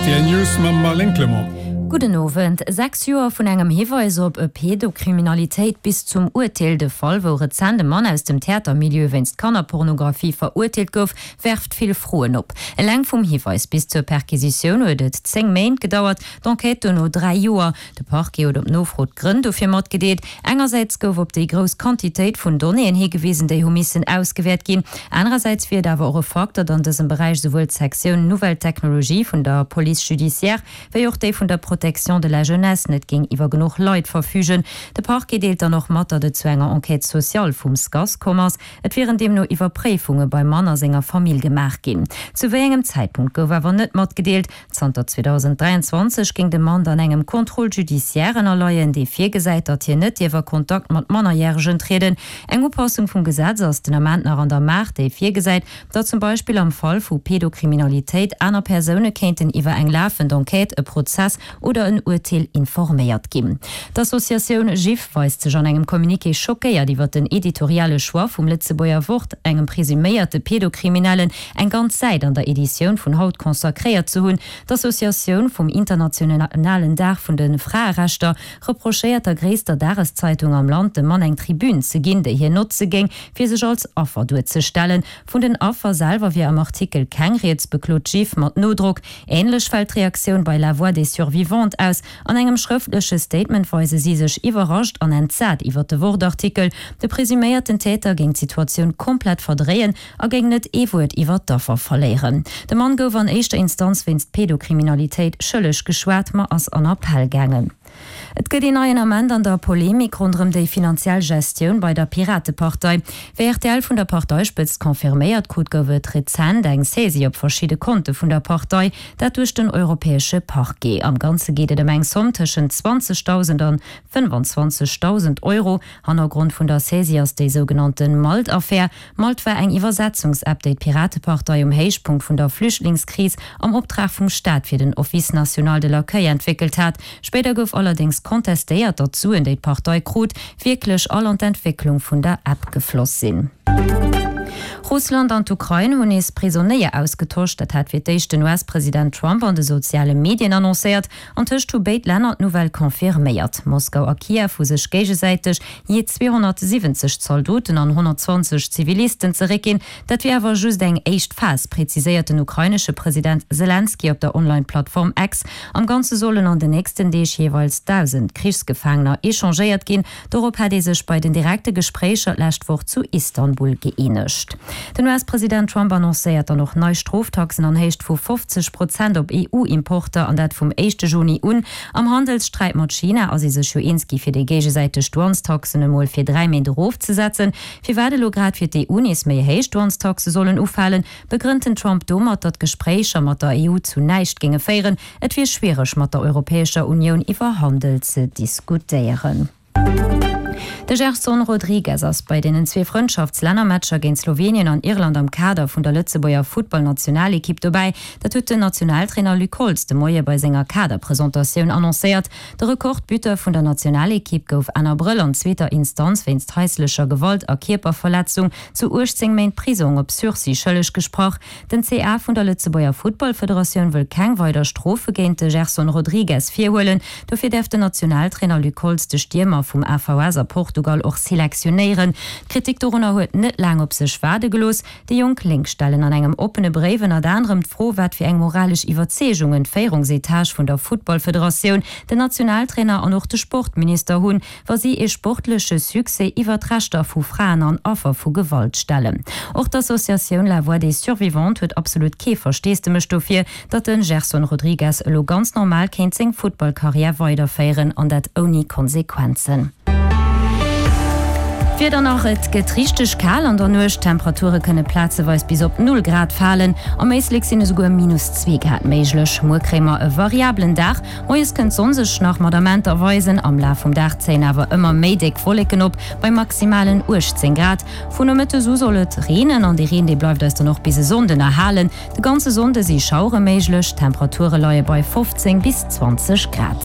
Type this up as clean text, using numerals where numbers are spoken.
Rtl News mam Marlène Clement. Gudden Owend. 6 Joer vun engem Hiweis op Pedokriminalitéit bis zum Urteel, De Fall, wou rezent e Mann aus dem Theatermilieu wéinst Kannerpornografie verurteelt gouf, werft vill Froen op. Eleng vum Hiweis bis zur Perquisitioun huet et 10 Méint gedauert, d'Enquête dono 3 Joer. De Parquet huet op Nofro d'Grënn dofir matgedeelt. Engersäits gouf op déi grouss Quantitéit vun Donnéeën higewisen, déi hu missen ausgewäert ginn. Anerersäits wier et awer och e Fakt, datt an dësem Beräich esouwuel d'Sektioun Nouvelles technologies vun der Police judiciaire wéi och déi vun der Protection de la jeunesse net géing iwwer genuch Leit verfügen. De Parquet deelt dann och mat, datt et zu enger Enquête sociale vum SCAS komm ass. Et wieren deemno Iwwerpréifunge beim Mann a senger Famill gemaach ginn. Zu wéi engem Zäitpunkt gouf awer net matgedeelt. Zanter 2023 géing de Mann dann engem Contrôle judiciaire ënnerleien, dee virgesäit, datt hien net dierf a Kontakt mat Mannerjäregen trieden. Eng Upassung vum Gesetz ass den Ament nach an der Maach, déi virgesäit, datt zum Beispill am Fall vu Pedokriminalitéit aner Persoune kéinten iwwer eng lafend Enquête, e Prozess oder en Urteel informéiert ginn. D'Associatioun GIF weist sech an engem Communiqué schockéiert iwwer den editoriale Choix vum Lëtzebuerger Wort, engem presuméierte Pedokriminellen eng ganz Säit an der Editioun vun haut consacréiert ze hunn. D'Associatioun vum internationalen Dag vun de Fraerechter reprochéiert der gréisster Dageszeitung am Land, dem Mann eng Tribün ze ginn, déi hien notze géing, fir sech als Affer duerzestellen. Vun den Affer selwer wier am Artikel keng Rieds, beklot d'GIF mat Nodrock. Änlech fält d'Reaktioun bei La Voix des Survivantes aus. An engem schrëftleche Statement weise si sech iwwerrascht an entsat iwwer de Wort-Artikel. De presuméierten Täter géing d'Situatioun komplett verdréien a géing net ee Wuert iwwer d'Affer verléieren. De Mann gouf an éischter Instanz wéinst Pedokriminalitéit schëlleg geschwat, ma ass an Appell gaangen. Et gëtt een neien Ament an der Polemik ronderëm déi finanziell Gestioun bei der Piratepartei. Wéi rtl vun der Parteispëtzt confirméiert krut, gouf et rezent eng Saisie op verschidde Konte vun der Partei, dat duerch den europäesche Parquet. Am Ganze geet et ëm eng Somm tëschent 20.000 an 25.000 Euro. Hannergrond vun der Saisie ass déi sougenannte Malt-Affär. Malt war eng Iwwersetzungsapp, déi d'Piratepartei um Héichpunkt vun der Flüchtlingskris am Optrag vum Staat fir den Office national de l'accueil entwéckelt hat. Spéider gouf allerdéngs kontestéiert, datt d'Suen, déi d'Partei krut, wierklech all an d'Entwécklung vun der App gefloss sinn. Russland an d'Ukrain hunn nees Prisonéier ausgetosch. Dat hat fir d'éischt den US-President Trump an de soziale Medien annoncéiert. Antëscht hu béid Länner d'Nouvelle confirméiert. Moskau a Kiew hu sech géigesäiteg jee 270 Zaldoten an 120 Zivilisten zeréckginn. Dat wier awer just eng éischt Phas, preziséiert den ukrainesche President Selenskyj op der Online-Plattform X. Am Ganze sollen an den nächsten Deeg jeeweils 1.000 Krichsgefaangener echangéiert ginn. Dorop hätt ee sech bei den direkte Gespréicher d'lescht Woch zu Istanbul gëeenegt. Den US-President Trump annoncéiert dann och nei Stroftaxen an Héicht vu 50 Prozent op EU-Importer, an dat vum éischte Juni un. Am Handelssträit mat China ass ee sech jo eens gi fir déi géigesäiteg Douanestaxen emol fir 3 Méint erofzesetzen. Firwat elo grad fir d'EU nees méi héich Douanestaxe sollen ufalen, begrënnt den Trump domat, datt d'Gespréicher mat der EU zu näischt géinge féieren. Et wier schwiereg mat der Europäescher Unioun iwwer Handel ze diskutéieren. De Gerson Rodrigues ass bei deenen zwee Frëndschaftslännermatcher géint Slowenien an Irland am Kader vun der Lëtzebuerger Futtballnationalekipp dobäi. Dat huet den Nationaltrainer Luc Holtz de Moie bei senger Kaderpresentatioun annoncéiert. De Rekordbuteur vun der Nationalekipp gouf Enn Abrëll an zweeter Instanz wéinst haislecher Gewalt a Kierperverletzung zu 18 Méint Prisong op Sursis schëlleg gesprach. Den CA vun der Lëtzebuerger Futtballfederatioun wëll keng weider Strofe géint de Gerson Rodrigues virhuelen. Dofir däerf den Nationaltrainer Luc Holtz de Stiermer vum AVS a Portugal och selektionéieren. D'Kritik dorunner huet net laang op sech waarde gelooss. Déi jonk Lénk stellen an engem oppene Bréif ënnert anerem d'Fro, wat fir eng moralesch Iwwerzeegungen d'Féierungsetage vun der Futtballfederatioun, den Nationaltrainer an och de Sportminister hunn, wa si ee sportleche Succès iwwer d'Rechter vu Fraen an Affer vu Gewalt stellen. Och d'Associatioun La Voix des Survivantes huet absolut kee Versteesdemech dofir, datt de Gerson Rodrigues elo ganz normal kéint seng Futtballkarriär weiderféieren, an dat ouni Konsequenzen. D'Wieder nach, Et gëtt richteg kal an der Nuecht, d'Temperature kënne plazeweis bis op 0 Grad falen, am Éislek sinn esouguer minus 2 Grad méiglech. Muer kréie mer e variabelen Dag, Moies kënnt d'Sonn sech nach mat Amenter weisen, am Laf vum Dag zéien awer ëmmer méi déck Wolleken op, bei maximalen 18 Grad. Vu Nomëttes u soll et reenen an dee Reen, dee bleift eis dann och bis e Sonnden erhalen. De ganze Sonnde si Schauere méiglech, d'Temperature leie bei 15 bis 20 Grad.